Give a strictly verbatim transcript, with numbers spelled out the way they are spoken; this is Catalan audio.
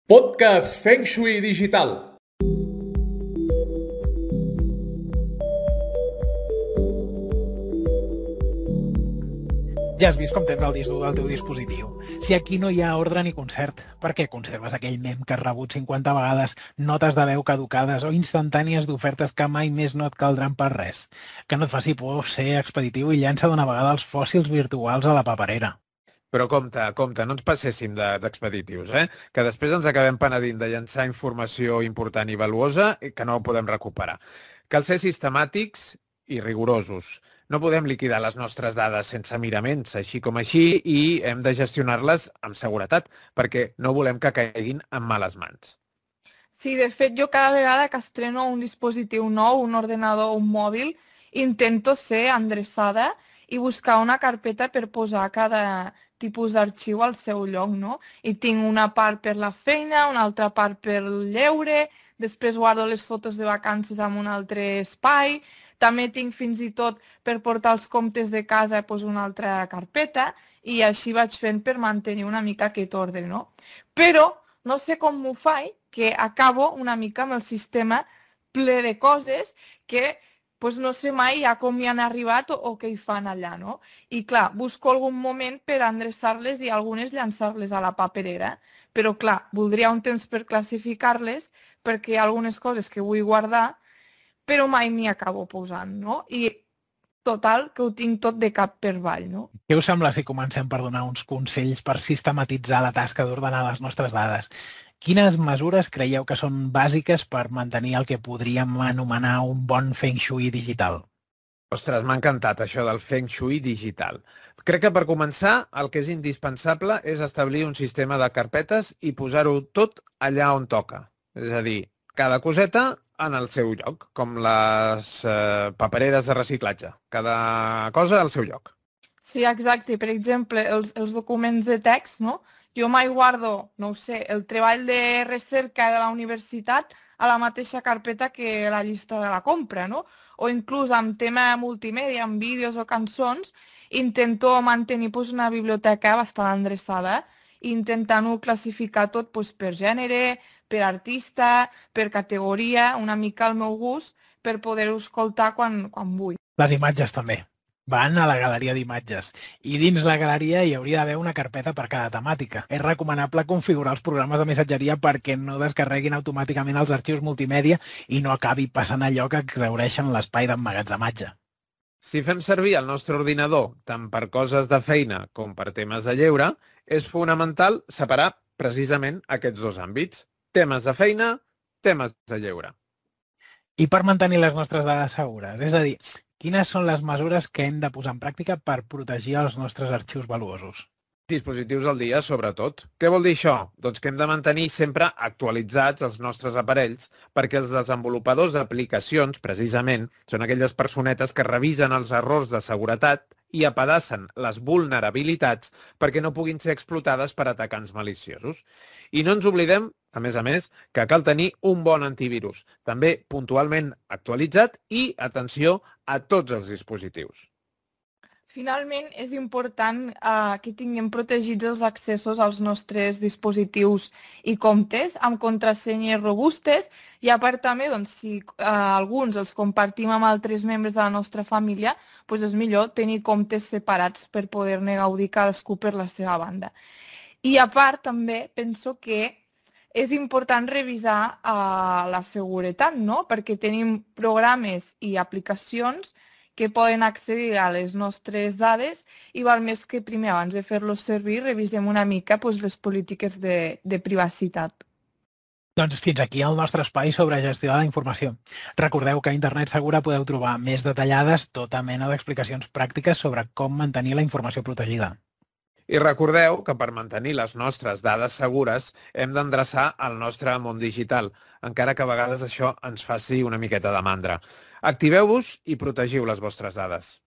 Podcast Feng Shui Digital. Ja has vist com tens el disc dur del teu dispositiu. Si aquí no hi ha ordre ni concert, per què conserves aquell mem que has rebut cinquanta vegades, notes de veu caducades o instantànies d'ofertes que mai més no et caldran per res? Que no et faci por ser expeditiu i llança d'una vegada els fòssils virtuals a la paperera. Però compte, compte, no ens passéssim d'expeditius, eh? Que després ens acabem penedint de llançar informació important i valuosa i que no podem recuperar. Cal ser sistemàtics i rigorosos. No podem liquidar les nostres dades sense miraments, així com així, i hem de gestionar-les amb seguretat, perquè no volem que caiguin en males mans. Sí, de fet, jo cada vegada que estreno un dispositiu nou, un ordenador o un mòbil, intento ser endreçada i buscar una carpeta per posar cada tipus d'arxiu al seu lloc, no? I tinc una part per la feina, una altra part per el lleure, després guardo les fotos de vacances en un altre espai, també tinc fins i tot per portar els comptes de casa doncs una altra carpeta i així vaig fent per mantenir una mica aquest ordre, no? Però no sé com m'ho faig, que acabo una mica amb el sistema ple de coses que doncs no sé mai ja com hi han arribat o, o què hi fan allà, no? I clar, busco algun moment per endreçar-les i algunes llançar-les a la paperera, però clar, voldria un temps per classificar-les perquè hi ha algunes coses que vull guardar, però mai m'hi acabo posant, no? I total, que ho tinc tot de cap per avall, no? Què us sembla si comencem per donar uns consells per sistematitzar la tasca d'ordenar les nostres dades? Quines mesures creieu que són bàsiques per mantenir el que podríem anomenar un bon Feng Shui digital? Ostres, m'ha encantat això del Feng Shui digital. Crec que per començar el que és indispensable és establir un sistema de carpetes i posar-ho tot allà on toca. És a dir, cada coseta en el seu lloc, com les eh, papereres de reciclatge. Cada cosa al seu lloc. Sí, exacte. Per exemple, els, els documents de text, no? Jo mai guardo, no ho sé, el treball de recerca de la universitat a la mateixa carpeta que la llista de la compra, no? O inclús amb tema multimèdia, amb vídeos o cançons, intento mantenir doncs, una biblioteca bastant endreçada, intentant-ho classificar tot doncs, per gènere, per artista, per categoria, una mica al meu gust, per poder-ho escoltar quan, quan vull. Les imatges també. Van a la galeria d'imatges. I dins la galeria hi hauria d'haver una carpeta per cada temàtica. És recomanable configurar els programes de missatgeria perquè no descarreguin automàticament els arxius multimèdia i no acabi passant allò que exhaureixen l'espai d'emmagatzematge. Si fem servir el nostre ordinador tant per coses de feina com per temes de lleure, és fonamental separar precisament aquests dos àmbits. Temes de feina, temes de lleure. I per mantenir les nostres dades segures? És a dir, quines són les mesures que hem de posar en pràctica per protegir els nostres arxius valuosos? Dispositius al dia, sobretot. Què vol dir això? Doncs que hem de mantenir sempre actualitzats els nostres aparells perquè els desenvolupadors d'aplicacions, precisament, són aquelles personetes que revisen els errors de seguretat i apadassen les vulnerabilitats perquè no puguin ser explotades per atacants maliciosos. I no ens oblidem, a més a més, que cal tenir un bon antivirus, també puntualment actualitzat i, atenció, a tots els dispositius. Finalment, és important eh, que tinguem protegits els accessos als nostres dispositius i comptes amb contrasenyes robustes i a part també, doncs, si eh, alguns els compartim amb altres membres de la nostra família, doncs és millor tenir comptes separats per poder-ne gaudir cadascú per la seva banda. I a part també penso que és important revisar eh, la seguretat, no? Perquè tenim programes i aplicacions que poden accedir a les nostres dades i val més que primer, abans de fer-los servir, revisem una mica doncs, les polítiques de, de privacitat. Doncs fins aquí el nostre espai sobre gestió de la informació. Recordeu que a Internet Segura podeu trobar més detallades tota mena d'explicacions pràctiques sobre com mantenir la informació protegida. I recordeu que per mantenir les nostres dades segures hem d'endreçar el nostre món digital, encara que a vegades això ens faci una miqueta de mandra. Activeu-vos i protegiu les vostres dades.